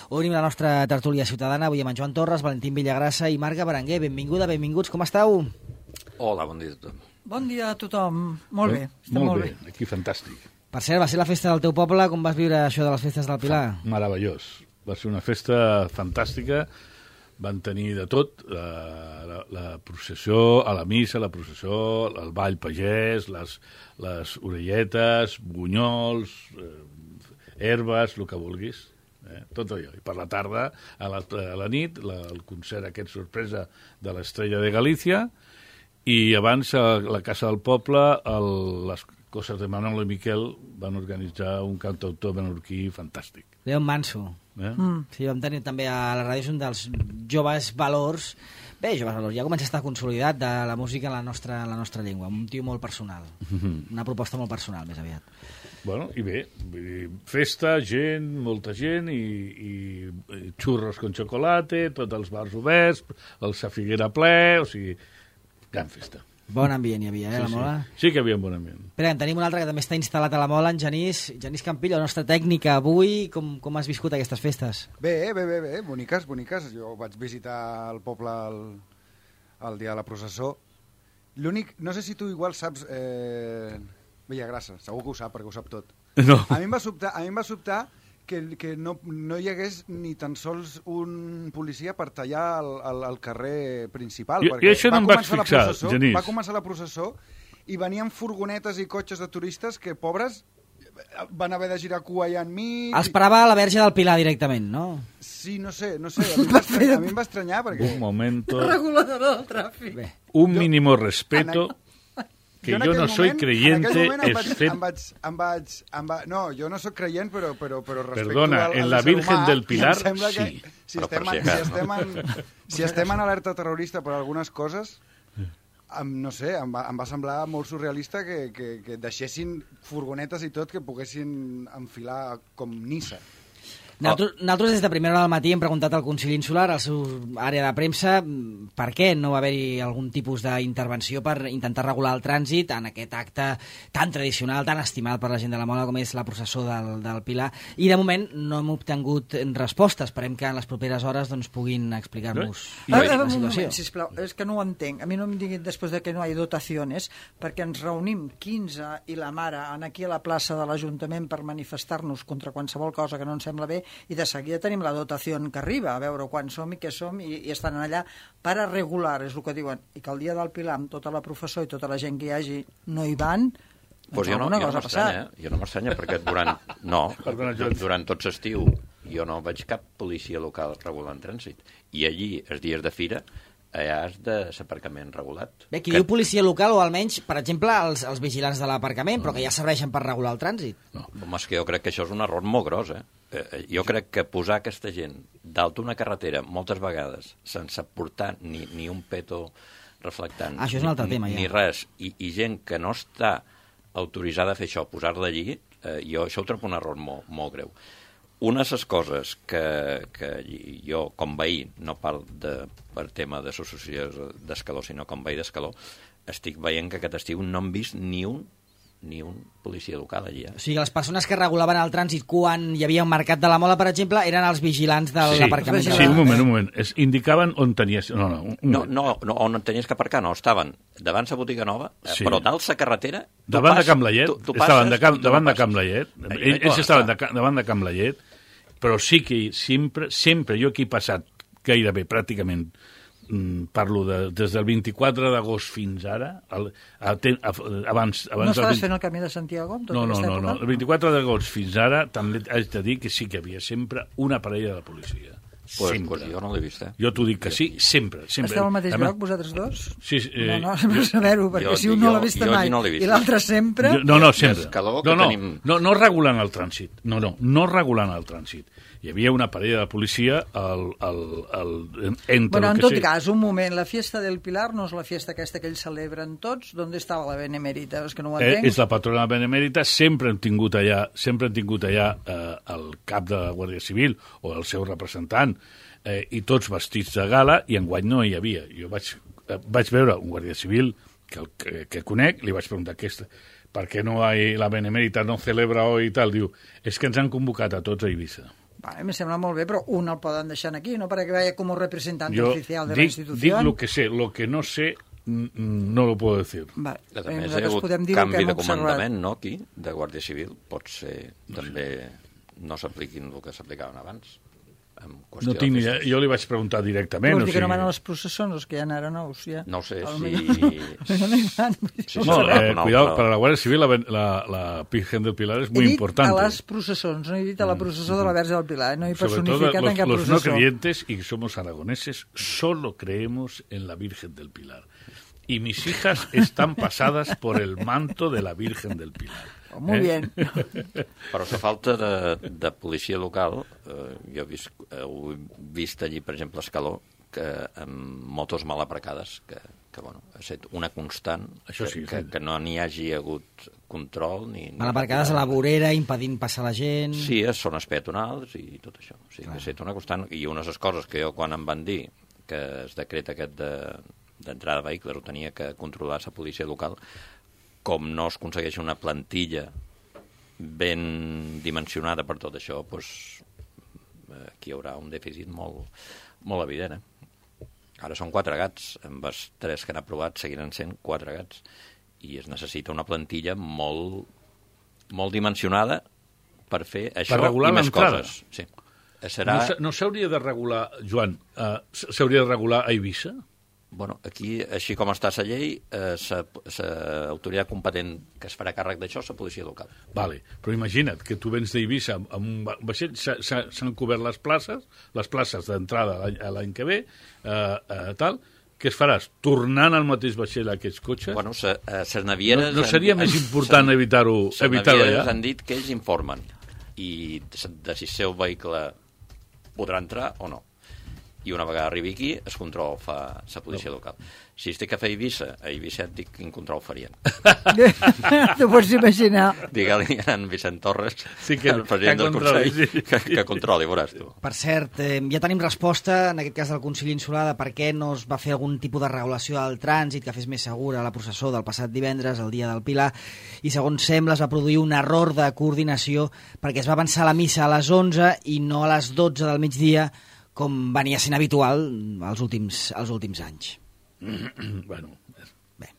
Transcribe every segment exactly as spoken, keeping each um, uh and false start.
Obrim la nostra tertúlia ciutadana, avui amb en Joan Torres, Valentín Villagrasa i Marga Berenguer. Benvinguda, benvinguts, com esteu? Hola, bon dia a tothom. Bon dia a tothom. Molt bé, estem molt, molt bé. bé. Aquí fantàstic. Per cert, va ser la festa del teu poble, com vas viure això de les festes del Pilar? Meravellós. Va ser una festa fantàstica. Van tenir de tot, la, la, la processió, a la missa, la processió, el ball pagès, les, les orelletes, bunyols, eh, herbes, el que vulguis, eh, tot allò. I per la tarda, a la, a la nit, la, el concert aquest sorpresa de l'Estrella de Galícia, i abans a la Casa del Poble, el, les coses de Manolo i Miquel van organitzar un cantautor menorquí fantàstic. Leon Manso. Eh? Mm. Sí, vam tenir també a la ràdio un dels joves valors. Bé, joves valors, ja comença a estar consolidat de la música en la nostra, en la nostra llengua. Un tio molt personal. Mm-hmm. Una proposta molt personal, més aviat. Bueno, i bé, festa, gent, molta gent, i, i, i xurros con chocolate, tots els bars oberts, el Sa Figuera ple, o sigui, gran festa. Bon ambient hi havia, eh, sí, la Mola? Sí. sí que hi havia un bon ambient. Espera, en tenim un altre que també està instal·lat a la Mola, en Genís. Genís Campillo, la nostra tècnica avui. Com, com has viscut aquestes festes? Bé, bé, bé, bé, boniques, boniques. Jo vaig visitar el poble el, el dia de la processó. L'únic, no sé si tu igual saps... Eh, Villagrasa, segur que ho sap, perquè ho sap tot. No. A mi em va sobtar, a mi em va sobtar que, que no, no hi hagués ni tan sols un policia per tallar el, el, el carrer principal. I, i això no em vaig fixar, Genís. Va començar la processó i venien furgonetes i cotxes de turistes que, pobres, van haver de girar cua allà enmig... Els parava a la Verge del Pilar directament, no? Sí, no sé, no sé. A mi em va estranyar, a mi em va estranyar perquè... Un momento... Reguladora del tràfic. Bé. Un mínimo respeto... Que jo, jo no soy moment, creyente, em vaig, es fet... Em vaig, em vaig, em va... No, jo no soc creient, però, però, però respecto Perdona, al, al en la Virgen humà, del Pilar, sí. Si estem, en, si, estem en, si estem en alerta terrorista per algunes coses, em, no sé, em va, em va semblar molt surrealista que, que, que deixessin furgonetes i tot que poguessin enfilar com Nissa. Nosaltres, nosaltres des de primera hora del matí hem preguntat al Consell Insular, al seu àrea de premsa, per què no va haver-hi algun tipus d'intervenció per intentar regular el trànsit en aquest acte tan tradicional, tan estimat per la gent de la Mola com és la processó del, del Pilar. I de moment no hem obtingut respostes. Esperem que en les properes hores doncs, puguin explicar-nos no? la situació. Un moment, sisplau, és que no ho entenc. A mi no em diguin després de que no hi ha dotacions, perquè ens reunim quinze i la mare aquí a la plaça de l'Ajuntament per manifestar-nos contra qualsevol cosa que no ens sembla bé, i de seguida tenim la dotació que arriba, a veure quan som i què som, i, i estan allà per a regular, és el que diuen, i que el dia del Pilar, amb tota la professó i tota la gent que hi hagi, no hi van, pues jo no, jo no m'estranya, eh? jo no m'estranya, perquè durant, no, durant tot l'estiu jo no veig cap policia local regulant trànsit, i allí, els dies de fira, allà has de l'aparcament regulat. Bé, qui que... diu policia local, o almenys, per exemple, els, els vigilants de l'aparcament, però que ja serveixen per regular el trànsit. No. Home, és que jo crec que això és un error molt gros, eh? eh jo crec que posar aquesta gent dalt una carretera, moltes vegades, sense portar ni, ni un peto reflectant, ah, això és un altre ni, tema, ja. ni res, i, i gent que no està autoritzada a fer això, posar-la allí, eh, jo això ho trobo un error molt, molt greu. Una de les coses que, que jo, com veí, no parlo de, per tema d'associació d'escaló, sinó com veí d'escaló, estic veient que aquest estiu no hem vist ni un ni un policia local allí. Eh? O sigui, les persones que regulaven el trànsit quan hi havia un mercat de la Mola, per exemple, eren els vigilants de sí, l'aparcament. Sí, un moment, un moment. Es indicaven on tenies... No, no, un no, no, no, on tenies que aparcar, no. Estaven davant la botiga nova, sí. però dalt la carretera... Davant pas, de Camp Laiet. Tu, tu estaven passes, de camp, tu davant no de Camp Laiet. Ells, ells estaven de, davant de Camp Laiet, però sí que sempre, sempre jo aquí he passat gairebé, pràcticament, parlo de, des del vint-i-quatre d'agost fins ara, el, a, a, abans... abans no estaves fent el camí de Santiago? No, no, no, no, el vint-i-quatre d'agost fins ara també haig de dir que sí que hi havia sempre una parella de la policia. Pues, pues jo no l'he vist, eh? Jo t'ho dic que sí, sempre. sempre. Esteu al mateix Además, lloc, vosaltres dos? Sí, eh, no, no, sempre saber-ho, perquè jo, si un no l'ha vist mai no vist, i l'altre sempre... Jo, no, no, sempre. No, no, tenim... no, no regulant el trànsit. No, no, no regulant el trànsit. Hi havia una parella de policia al, al, al, entre bueno, en tot sé. Cas, un moment, la fiesta del Pilar no és la fiesta aquesta que ells celebren tots? D'on estava la Benemèrita? És que no ho entenc. Eh, és la patrona Benemèrita, sempre hem tingut allà, sempre hem tingut allà eh, el cap de la Guàrdia Civil o el seu representant, eh, i tots vestits de gala, i enguany no hi havia. Jo vaig, eh, vaig veure un Guàrdia Civil que, el, que, que conec, li vaig preguntar aquesta, per què no hay, la Benemèrita no celebra hoy i tal? Diu, és que ens han convocat a tots a Eivissa. Vale, me sembla molt bé, però un el poden deixar aquí, no para que vaya como representante Yo oficial de dic, la institución. dic lo que sé, lo que no sé no lo puedo decir. Vale. A més, hi ha Nosaltres hagut podem dir el que canvi hem de observat. comandament, no, aquí, de Guàrdia Civil. Pot ser també no s'apliquin el que s'aplicaven abans. En qüestió No tinc ni de idea. Jo li vaig preguntar directament. Vols O dir que no sigui... van a les processons, els que hi ha ara nous, ja? No ho sé A lo si... millor no hi van. Sí, No, sí, eh, no, cuidado, però- para la Guardia Civil la, la, la Virgen del Pilar es He muy dit importante. a les processons, no he dit a la processó de la Verge del Pilar, no he Sobre todo personificat los, en cap los no processó. creyentes y somos aragoneses, solo creemos en la Virgen del Pilar. Y mis hijas están pasadas por el manto de la Virgen del Pilar. Oh, muy Eh? bien. Però la falta de, de policia local, eh, jo he vist, heu vist allí, per exemple, a Escaló, que amb motos mal aparcades, que, que bueno, ha estat una constant, Això sí, que, sí. que no n'hi hagi hagut control. Ni, ni Mal aparcades a la vorera, impedint passar la gent... Sí, a zones peatonals i tot això. O sigui, que ha estat una constant. I unes de les coses que jo, quan em van dir que es decret aquest de, d'entrada de vehicles ho tenia que controlar la policia local, com no es aconsegueix una plantilla ben dimensionada per tot això, doncs, aquí hi haurà un dèficit molt, molt evident. Eh? Ara són quatre gats, amb els tres que han aprovat seguiran sent quatre gats, i es necessita una plantilla molt, molt dimensionada per fer això regular i més l'entrada. coses. Sí. Serà... No, s'ha- no s'hauria de regular, Joan, uh, s'hauria de regular a Eivissa? Bueno, aquí, així com està la llei, eh, l'autoritat competent que es farà càrrec d'això és la policia local. Vale, però imagina't que tu vens d'Eivissa amb un va- vaixell, s'ha- s'ha- s'han cobert les places, les places d'entrada l'any- a l'any que ve, eh, eh, tal, què es faràs? Tornant al mateix vaixell a aquests cotxes? Bueno, les no, navieres... no seria han- més important s'han- evitar-ho Les evitar navieres allà? han dit que ells informen i de si el seu vehicle podrà entrar o no. I una vegada arribi aquí, el control fa la policia local. Si es té que fer a Eivissa, a Eivissa et dic quin control farien. T'ho pots imaginar. Digue-li a en Vicent Torres, Sí, que- el president que del controli, Consell, sí. que, que controli, veuràs tu. Per cert, eh, ja tenim resposta, en aquest cas del Consell Insular, de per què no es va fer algun tipus de regulació del trànsit que fes més segura la processó del passat divendres, el dia del Pilar, i segons sembla es va produir un error de coordinació perquè es va avançar la missa a les onze i no a les dotze del migdia, com venia sent habitual els últims, els últims anys. Bueno, Bé,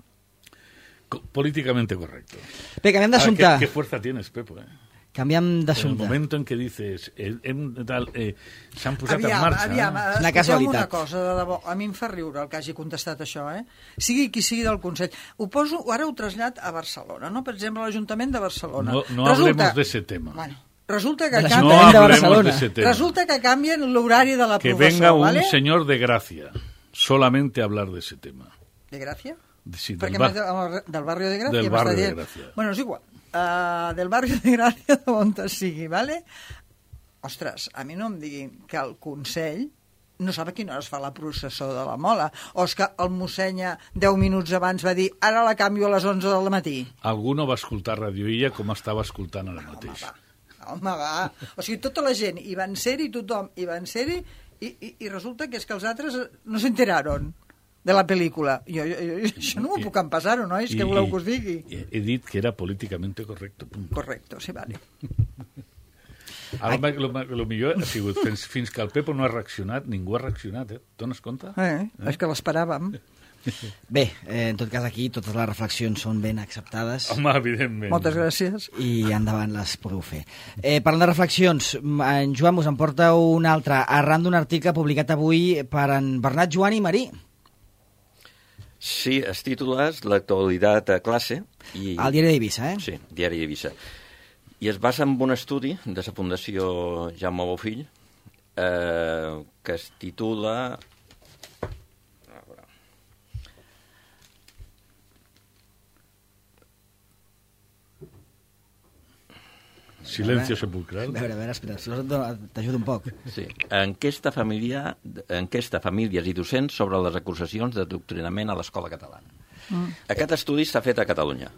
co- políticamente correcto. Bé canviem Ah, d'assumpte. ¿qué, qué fuerza tienes, Pepo? Eh? Canviem En el d'assumpte. momento en que dices, eh, hem, tal, eh, s'han posat Aviam, en marxa... aviam, eh? Una escolteu casualitat. una cosa, de debò, a mi em fa riure el que hagi contestat això, eh? Sigui qui sigui del Consell. Ho poso, ara ho trasllat a Barcelona, no? Per exemple, l'Ajuntament de Barcelona. No, no hablemos de ese tema. Bueno, resulta De que la canvien... No Ajuntament de hablemos Barcelona. de ese tema. Resulta que canvien l'horari de la Que professor, venga un ¿vale? señor de Gracia, solamente a hablar de ese tema. De Gràcia? Sí, del Perquè bar- m'has de- del barri de Gràcia Del m'està barri de dient. Gràcia. Bueno, és igual. Uh, del barri de Gràcia, d'on sigui, ¿vale? Ostres, a mi no em diguin que el Consell no sap a quina hora es fa la processó de la mola, o és que el mossenya deu minuts abans va dir ara la canvio a les onze del matí. Algú no va escoltar Radio Illa com estava escoltant ara Home, mateix. va. Home, va. O sigui, tota la gent hi van ser-hi, tothom hi van ser-hi, i, i, i resulta que és que els altres no s'enteraron de la pel·lícula. Jo, jo, jo, això no m'ho puc empassar-ho, nois? Què voleu que us digui? I, he dit que era políticamente correcto. Punt. Correcto, sí, vale. Ara, el, el millor ha sigut, fins, fins que el Pepo no ha reaccionat, ningú ha reaccionat, eh? Dones compte? Eh, és que l'esperàvem. Bé, eh, en tot cas aquí totes les reflexions són ben acceptades. Home, evidentment. Moltes gràcies. I endavant les podeu fer. Eh, parlant de reflexions, en Joan us en porta una altra, arran d'un article publicat avui per en Bernat Joan i Marí. Sí, el títol és L'actualitat a classe. I... Al diari d'Eivissa, eh? Sí, diari d'Eivissa. I es basa en un estudi de la Fundació Jaume Bofill eh, que es titula... A veure. Silencio sepulcral. A veure, a veure, espera, si vols t'ajudo un poc. Sí. Enquesta, familiar, enquesta famílies i docents sobre les acusacions d'adoctrinament a l'escola catalana. Mm. Aquest estudi s'ha fet a Catalunya,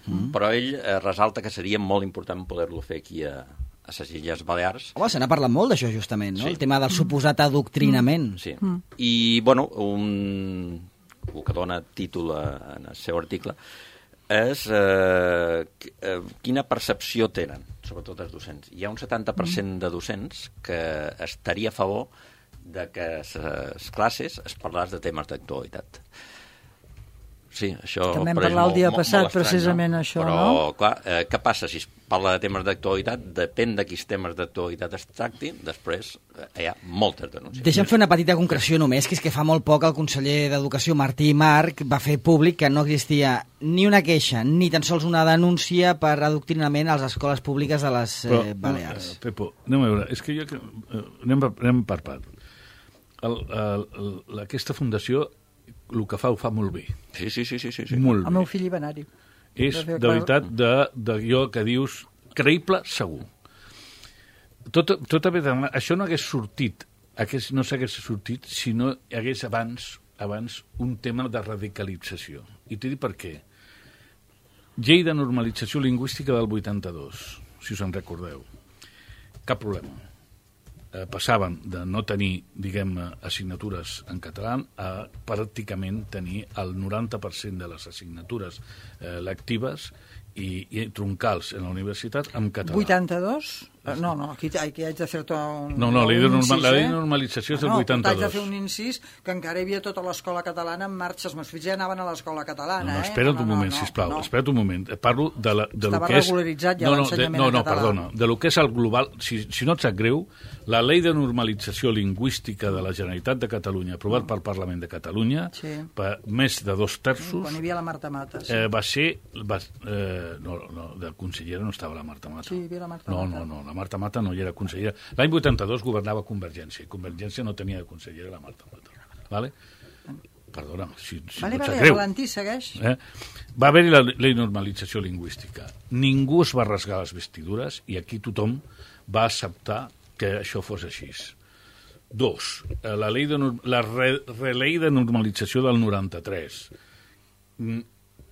mm. però ell eh, resalta que seria molt important poder-lo fer aquí a, a les Illes Balears. Home, se n'ha parlat molt d'això, justament, no? Sí. El tema del suposat adoctrinament. Sí. Mm. I, bueno, un, el que dona títol a, en el seu article és eh, quina percepció tenen, sobretot els docents. Hi ha un setanta per cent de docents que estaria a favor de que les classes es parlés de temes d'actualitat. Sí, això... També hem però és parlat el molt- dia molt- passat, molt estrany, precisament, no? això, però, no? clar, eh, què passa si es parla de temes d'actualitat? Depèn de quins temes d'actualitat es tractin, després eh, hi ha moltes denúncies. Deixa'm fer una petita concreció només, que és que fa molt poc el conseller d'Educació, Martí Marc, va fer públic que no existia ni una queixa, ni tan sols una denúncia per adoctrinament a les escoles públiques de les eh, Balears. Eh, Pepo, anem a veure, és que jo... que- eh, Anem, per- anem per part. El, el, el, aquesta fundació, el que fa, ho fa molt bé. Sí, sí, sí, sí, sí, sí. Molt El meu bé. fill hi va anar-hi. És, Va fer de clar- veritat, de, de allò que dius, creïble, segur. Tot, tot haver de... Això no hagués sortit, hagués, no s'hagués sortit si no hi hagués abans, abans un tema de radicalització. I t'he dit per què. Llei de normalització lingüística del vuitanta-dos, si us en recordeu. Cap problema. Eh, passaven de no tenir, diguem, assignatures en català a pràcticament tenir el noranta per cent de les assignatures eh, lectives i, i troncals en la universitat en català. vuitanta-dos? No, no, aquí, aquí haig de fer un, No, no, la llei de un norma- incís, la llei eh? de normalització és del no, vuitanta-dos. Haig de fer un incís que encara hi havia tota l'escola catalana en marxa. Els meus fills ja anaven a l'escola catalana, No, no, eh? espera't no, un no, moment, no, sisplau, no. espera't un moment. Parlo de, la, de lo Estava que és... regularitzat ja no, no, de, l'ensenyament no, en no, català. perdona. De lo que és el global, si, si no et sap greu, la llei de normalització lingüística de la Generalitat de Catalunya, aprovat pel Parlament de Catalunya, Sí. per més de dos terços, Quan hi havia la Marta Mates. eh, va ser... Va, eh, no, no, de consellera no estava la Marta Mata. Sí, hi havia la Marta no, Mata. No, no, la Marta Mata no hi era consellera. L'any vuitanta-dos governava Convergència, i Convergència no tenia de consellera la Marta Mata. Vale? Perdona, si, si Vale, no et vale, sap greu. Valentí, segueix. Eh? Va haver-hi la, la normalització lingüística. Ningú es va rasgar les vestidures i aquí tothom va acceptar que això fos així. Dos, eh, la, llei de, nor- la re, relei de normalització del noranta-tres. Mm,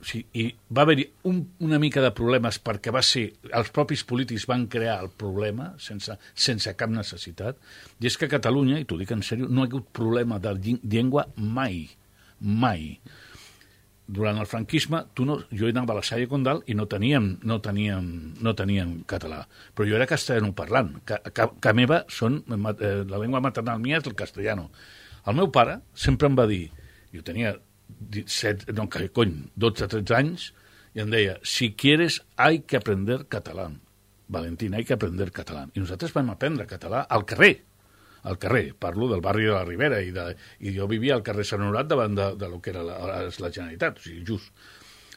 sí, i va haver-hi un, una mica de problemes perquè va ser, els propis polítics van crear el problema sense, sense cap necessitat, i és que a Catalunya, i t'ho dic en sèrio, no hi ha hagut problema de lli- llengua mai, mai. Durant el franquisme, tu no, jo anava a la Salle Condal i no teníem, no teníem, no teníem català, però jo era castellano parlant, que, que, que meva són, eh, la llengua maternal mia és el castellano. El meu pare sempre em va dir, jo tenia disset, no, que cony, dotze tretze anys, i em deia, si quieres hay que aprender catalán, Valentín, hay que aprender catalán. I nosaltres vam aprendre català al carrer, al carrer, parlo del barri de la Ribera, i, de, i jo vivia al carrer Sant Honorat davant de, de lo que era la, la Generalitat, o sigui, just,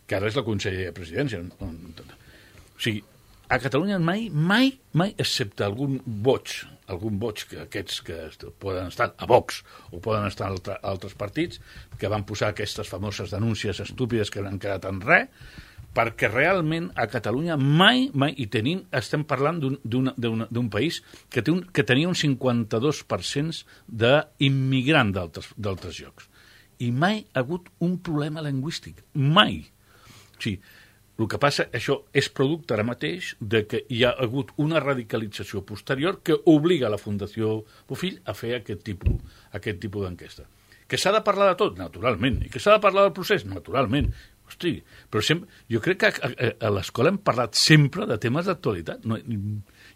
que ara és la Conselleria de Presidència. O sigui, a Catalunya mai, mai, mai, excepte algun boig, algun boig que aquests que poden estar a Vox o poden estar a altre, altres partits, que van posar aquestes famoses denúncies estúpides que han quedat en res, perquè realment a Catalunya mai, mai, i tenim, estem parlant d'un país que, té un, que tenia un cinquanta-dos per cent d'immigrant d'altres llocs. I mai ha hagut un problema lingüístic. Mai. O sigui, el que passa, això és producte ara mateix de que hi ha hagut una radicalització posterior que obliga la Fundació Bofill a fer aquest tipus, aquest tipus d'enquesta. Que s'ha de parlar de tot, naturalment, i que s'ha de parlar del procés, naturalment. Hosti, però sempre, jo crec que a, a, a l'escola hem parlat sempre de temes d'actualitat. No,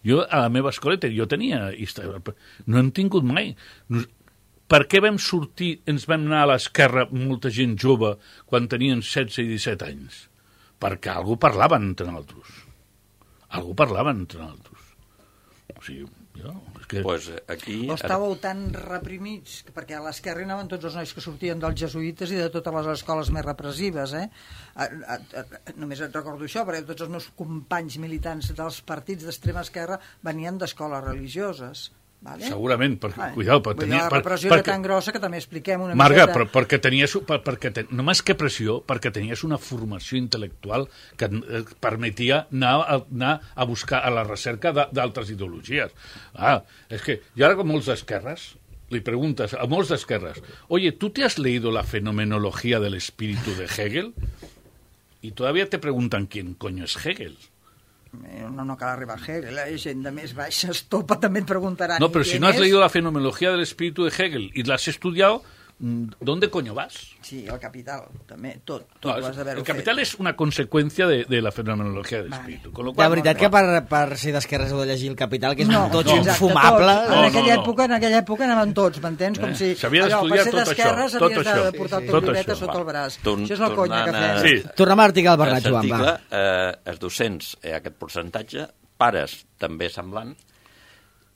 jo a la meva escola jo tenia... No hem tingut mai... No, per què vam sortir, ens vam anar a l'esquerra molta gent jove quan tenien setze i disset anys? Perquè algú parlaven entre nosaltres. Algú parlaven entre nosaltres. O sigui, jo... És que... Pues aquí... O estàveu tan reprimits, perquè a l'esquerra hi anaven tots els nois que sortien dels jesuïtes i de totes les escoles més repressives, eh? A, a, a, només et recordo això, perquè tots els meus companys militants dels partits d'extrema esquerra venien d'escoles religioses. Vale? Segurament, perquè, Vale. cuidao, per Vull dir, tenir... la repressió per, era tan grossa que també expliquem una Marga, miqueta... però, perquè tenies, per, perquè ten, no més que pressió, perquè tenies una formació intel·lectual que et permetia anar a, anar a buscar a la recerca d'altres ideologies. Ah, és que jo ara com molts d'esquerres, li preguntes a molts d'esquerres, oye, ¿tú te has leído la fenomenología del espíritu de Hegel? Y todavía te preguntan quién coño es Hegel. No, no cal arribar a Hegel, la gent de més baixa estopa també et preguntaran. No, pero ¿quién si no has es? leído la fenomenología del espíritu de Hegel y la has estudiado, ¿dónde coño vas? Sí, el capital, també, tot, tot No, ho has d'haver-ho el fet. capital és una conseqüència de, de la fenomenologia del Vale. espíritu. Con lo De cual, veritat que per, per ser d'esquerres heu de llegir el Capital, que és No, un tots no, infumable. Tots. No, en, no, aquella no. època, en aquella època anaven tots, m'entens? Com Eh, si s'havia allò, d'estudiar per ser tot d'esquerres això, tot havies això. de portar Sí, el sí. teu llibreta Tot sota això. el braç. Torn- Això és la conya que tornant a- fem. Sí. Tornem a l'article del A Bernat, aquest Joan, va. article, eh, els docents, eh, aquest percentatge, pares també semblant,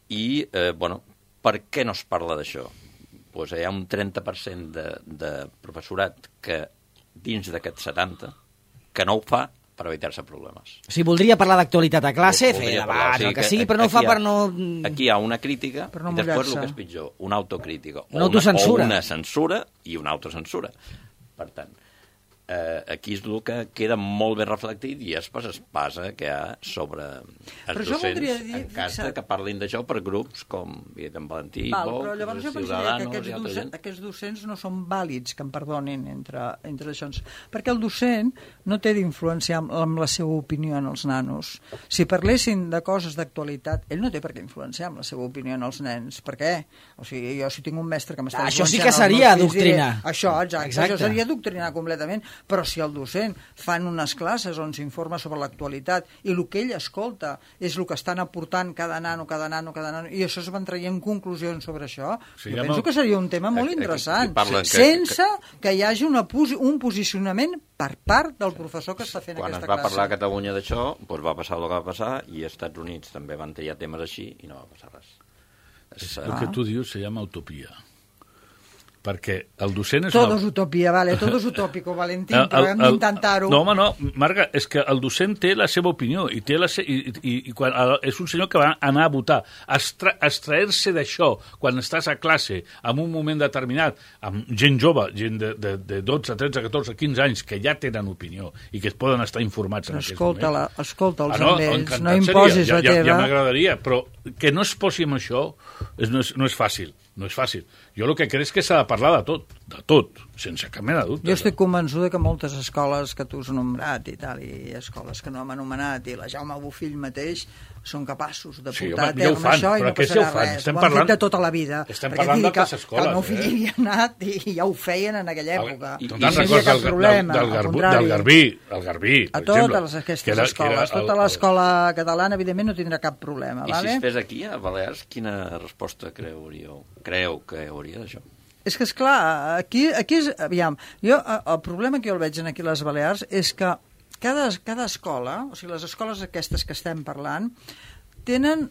i, eh, bueno, per què no es parla d'això? Pues hi ha un trenta per cent de, de professorat que, dins d'aquest setanta, que no ho fa per evitar-se problemes. O sigui, voldria parlar d'actualitat a classe, fer Voldria parlar, debat, o sigui el que sigui, però no ho aquí fa hi ha- per no... Aquí hi ha una crítica Per no i després el mullar-se. que és pitjor, una autocrítica. Una autocensura. O una censura i una autocensura. Per tant, eh, aquí és el que queda molt ben reflectit i després es passa que hi ha sobre Però els això docents voldria dir, en cas de fixa't. que parlin d'això per grups com en Valentí, Val, Vox, però llavors jo pensaria que Ciudadanos aquests, i altra docent, gent. aquests docents no són vàlids, que em perdonin, entre, entre això. Perquè el docent no té d'influenciar amb, amb la seva opinió en els nanos. Si parlessin de coses d'actualitat, ell no té per què influenciar amb la seva opinió en els nens. Per què? O sigui, jo si tinc un mestre que m'està Això sí influenciant que els seria meus fills, diré, adoctrinar. Això, exacte, Exacte. això seria adoctrinar completament. Però si el docent fan unes classes on s'informa sobre l'actualitat i el que ell escolta és el que estan aportant cada nano, cada nano, cada nano, i això es van traient conclusions sobre això, Sí, jo ja penso no- que seria un tema molt Aquí- aquí interessant, parlen que- sense que hi hagi una posi un posicionament per part del professor que està fent Quan es aquesta va classe. parlar a Catalunya d'això, doncs va passar el que va passar i als Estats Units també van triar temes així i no va passar res. És, El eh, que tu dius se llama utopia. Perquè el docent és Todo una... es utopia, vale, todo es utópico, Valentín, El- però el- hem el- d'intentar-ho. No, home, no, Marga, és que el docent té la seva opinió i, té la se... I, i, i quan, el, és un senyor que va anar a votar. Extra... Extraer-se d'això quan estàs a classe en un moment determinat amb gent jove, gent de, de, de dotze, tretze, catorze, quinze anys que ja tenen opinió i que es poden estar informats en aquests Escolta, la, moments. escolta'ls Ah, no, amb ells, encantat no seria, imposis ja, la ja, ja teva. m'agradaria, però que no es posi amb això és, no, és, no és fàcil. No és fàcil. Jo el que crec és que s'ha de parlar de tot, de tot, sense cap mena de dubte. Jo estic convençuda que moltes escoles que tu has anomenat i tal, i escoles que no hem anomenat, i la Jaume Bofill mateix, són capaços de Sí, portar home, a ja ho terme fan, això i però no aquests ja passarà ho fan. res. Estem Ho han parlant- fet de tota la vida. estem Perquè parlant digui d'altres que, escoles, que el meu eh? fill hi havia anat i ja ho feien en aquella El- època. i- I Te'n no hi havia recordes cap del, del, problema, del, al Garbú, contrari. del Garbí, el Garbí, per A totes exemple, aquestes que era- que escoles, era el- tota el- l'escola catalana, evidentment, no tindrà cap problema. I si vale? es fes aquí, a Balears, quina resposta creuríeu? Creu que hauria d'això? És que, esclar, aquí, aquí és... Aviam, jo, eh, el problema que jo el veig en aquí a les Balears és que cada, cada escola, o sigui, les escoles aquestes que estem parlant, tenen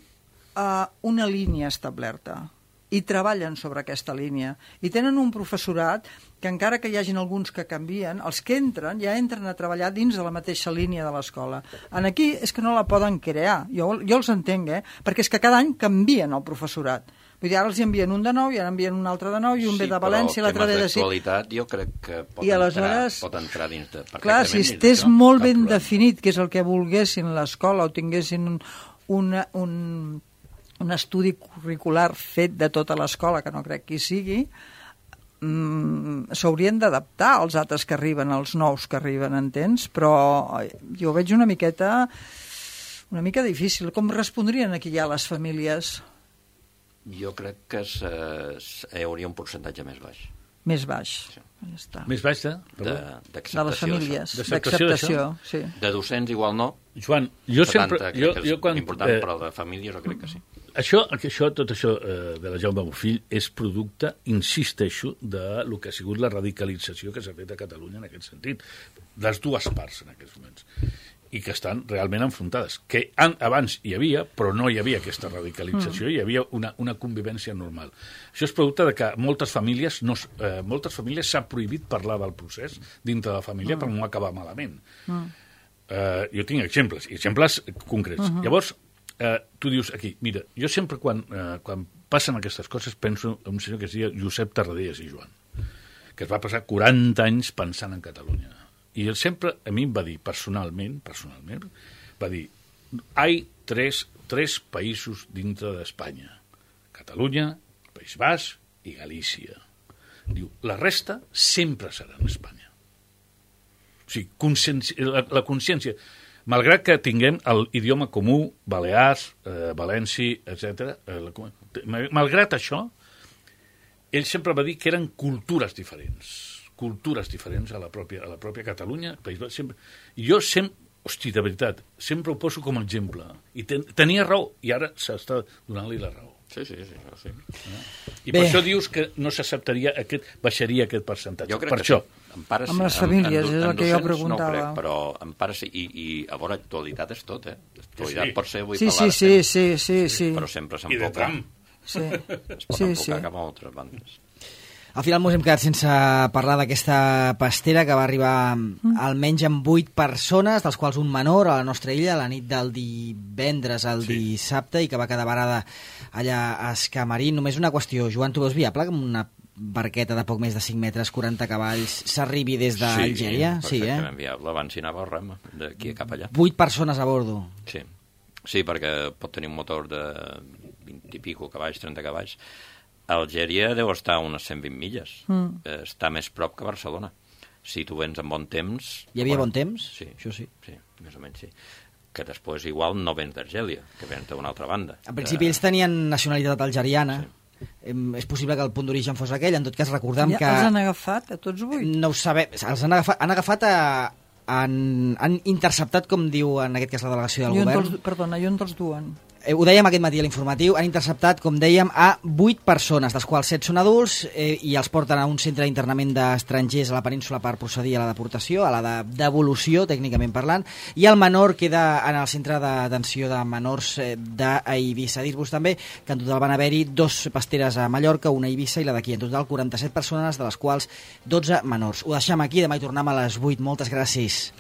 uh, una línia establerta i treballen sobre aquesta línia. I tenen un professorat que encara que hi hagin alguns que canvien, els que entren ja entren a treballar dins de la mateixa línia de l'escola. En aquí és que no la poden crear. Jo, jo els entenc, eh? Perquè és que cada any canvien el professorat. Vull dir, ara els hi envien un de nou i ara envien un altre de nou i un ve de València i l'altre ve de... Sí, però temes d'actualitat jo crec que pot, I entrar, aleshores- pot entrar dins de... Clar, si perfectament dins estés d'això, molt cap ben problema. definit, que és el que volguessin l'escola, o tinguessin un, una, un, un estudi curricular fet de tota l'escola, que no crec que hi sigui, mm, s'haurien d'adaptar als altres que arriben, als nous que arriben, entens? Però jo ho veig una miqueta... una mica difícil. Com respondrien aquí ja les famílies? Jo crec que se, se, hi hauria un percentatge més baix. Més baix. Ja està. Més baix de... De, Perdó? d'acceptació De les famílies. D'acceptació d'això? D'acceptació, sí. d'això. De docents igual no. Joan, jo sempre... setanta, Jo, crec que jo és quan, important, eh, però de famílies jo crec que sí. Això, això, tot això eh, de la Jaume Bofill és producte, insisteixo, de lo que ha sigut la radicalització que s'ha fet a Catalunya en aquest sentit. Les dues parts en aquests moments. I que estan realment enfrontades. Que an, abans hi havia, però no hi havia aquesta radicalització, mm. hi havia una, una convivència normal. Això és producte de que moltes famílies no, eh, moltes famílies s'ha prohibit parlar del procés dintre de la família mm. per no acabar malament. Mm. Eh, jo tinc exemples, exemples concrets. Uh-huh. Llavors, eh, tu dius aquí, mira, jo sempre quan, eh, quan passen aquestes coses penso en un senyor que es deia Josep Tarradellas i Joan, que es va passar quaranta anys pensant en Catalunya. I ell sempre, a mi em va dir, personalment, personalment, va dir, hi ha tres, tres països dintre d'Espanya. Catalunya, País Basc i Galícia. Diu, la resta sempre serà en Espanya. O sigui, consciència, la, la consciència, malgrat que tinguem l'idioma comú, Balears, eh, Valenci, etcètera, eh, malgrat això, ell sempre va dir que eren cultures diferents, cultures diferents a la pròpia, a la pròpia Catalunya, País Basc, sempre. I jo sempre, hosti, de veritat, sempre ho poso com a exemple. I ten, tenia raó, i ara s'està donant-li la raó. Sí, sí, sí. sí. I per Bé. això dius que no s'acceptaria aquest, baixaria aquest percentatge. Jo crec per que això. Sí. En pares, amb les famílies, en, en, és el que jo preguntava. No crec, però en pares sí, i, i a veure, actualitat és tot, eh? Actualitat sí. pot ser avui sí, parlar sí, sí, sí, sí, sí. Però sempre s'enfoca. I de Trump. Sí. Es pot sí, enfocar sí. cap a altres bandes. Al final ens hem quedat sense parlar d'aquesta pastera que va arribar mm. almenys amb vuit persones, dels quals un menor a la nostra illa, a la nit del divendres al sí. dissabte, i que va quedar varada allà a Escamarín. Només una qüestió, Joan, tu veus viable que amb una barqueta de poc més de cinc metres, quaranta cavalls, s'arribi des d'Algèria? Sí, sí, perfectament sí, eh? viable. Abans hi anava el rem, d'aquí cap allà. Vuit persones a bordo. Sí. sí, perquè pot tenir un motor de vint i pico cavalls, trenta cavalls. Algèria deu estar a unes cent vint milles. Mm. Està més prop que Barcelona. Si tu vens amb bon temps... Hi havia bueno, bon temps? Sí. Això sí. Sí, més o menys sí. Que després igual no vens d'Argèlia, que vens d'una altra banda. En principi ells tenien nacionalitat algeriana. Sí. És possible que el punt d'origen fos aquell. En tot cas, recordem ja, que... Els han agafat a tots vuit? No ho sabem. Els han agafat, han agafat a... Han, han interceptat, com diu en aquest cas la delegació del I govern. Dels, perdona, i on te'ls duen? Eh, ho dèiem aquest matí a l'informatiu, han interceptat, com dèiem, a vuit persones, dels quals set són adults, eh, i els porten a un centre d'internament d'estrangers a la península per procedir a la deportació, a la de devolució, tècnicament parlant, i el menor queda en el centre de detenció de menors eh, d'Eivissa. Dir-vos també que en total van haver-hi dos pasteres a Mallorca, una a Eivissa i la d'aquí. En total quaranta-set persones, de les quals dotze menors. Ho deixem aquí, demà hi tornem a les vuit. Moltes gràcies.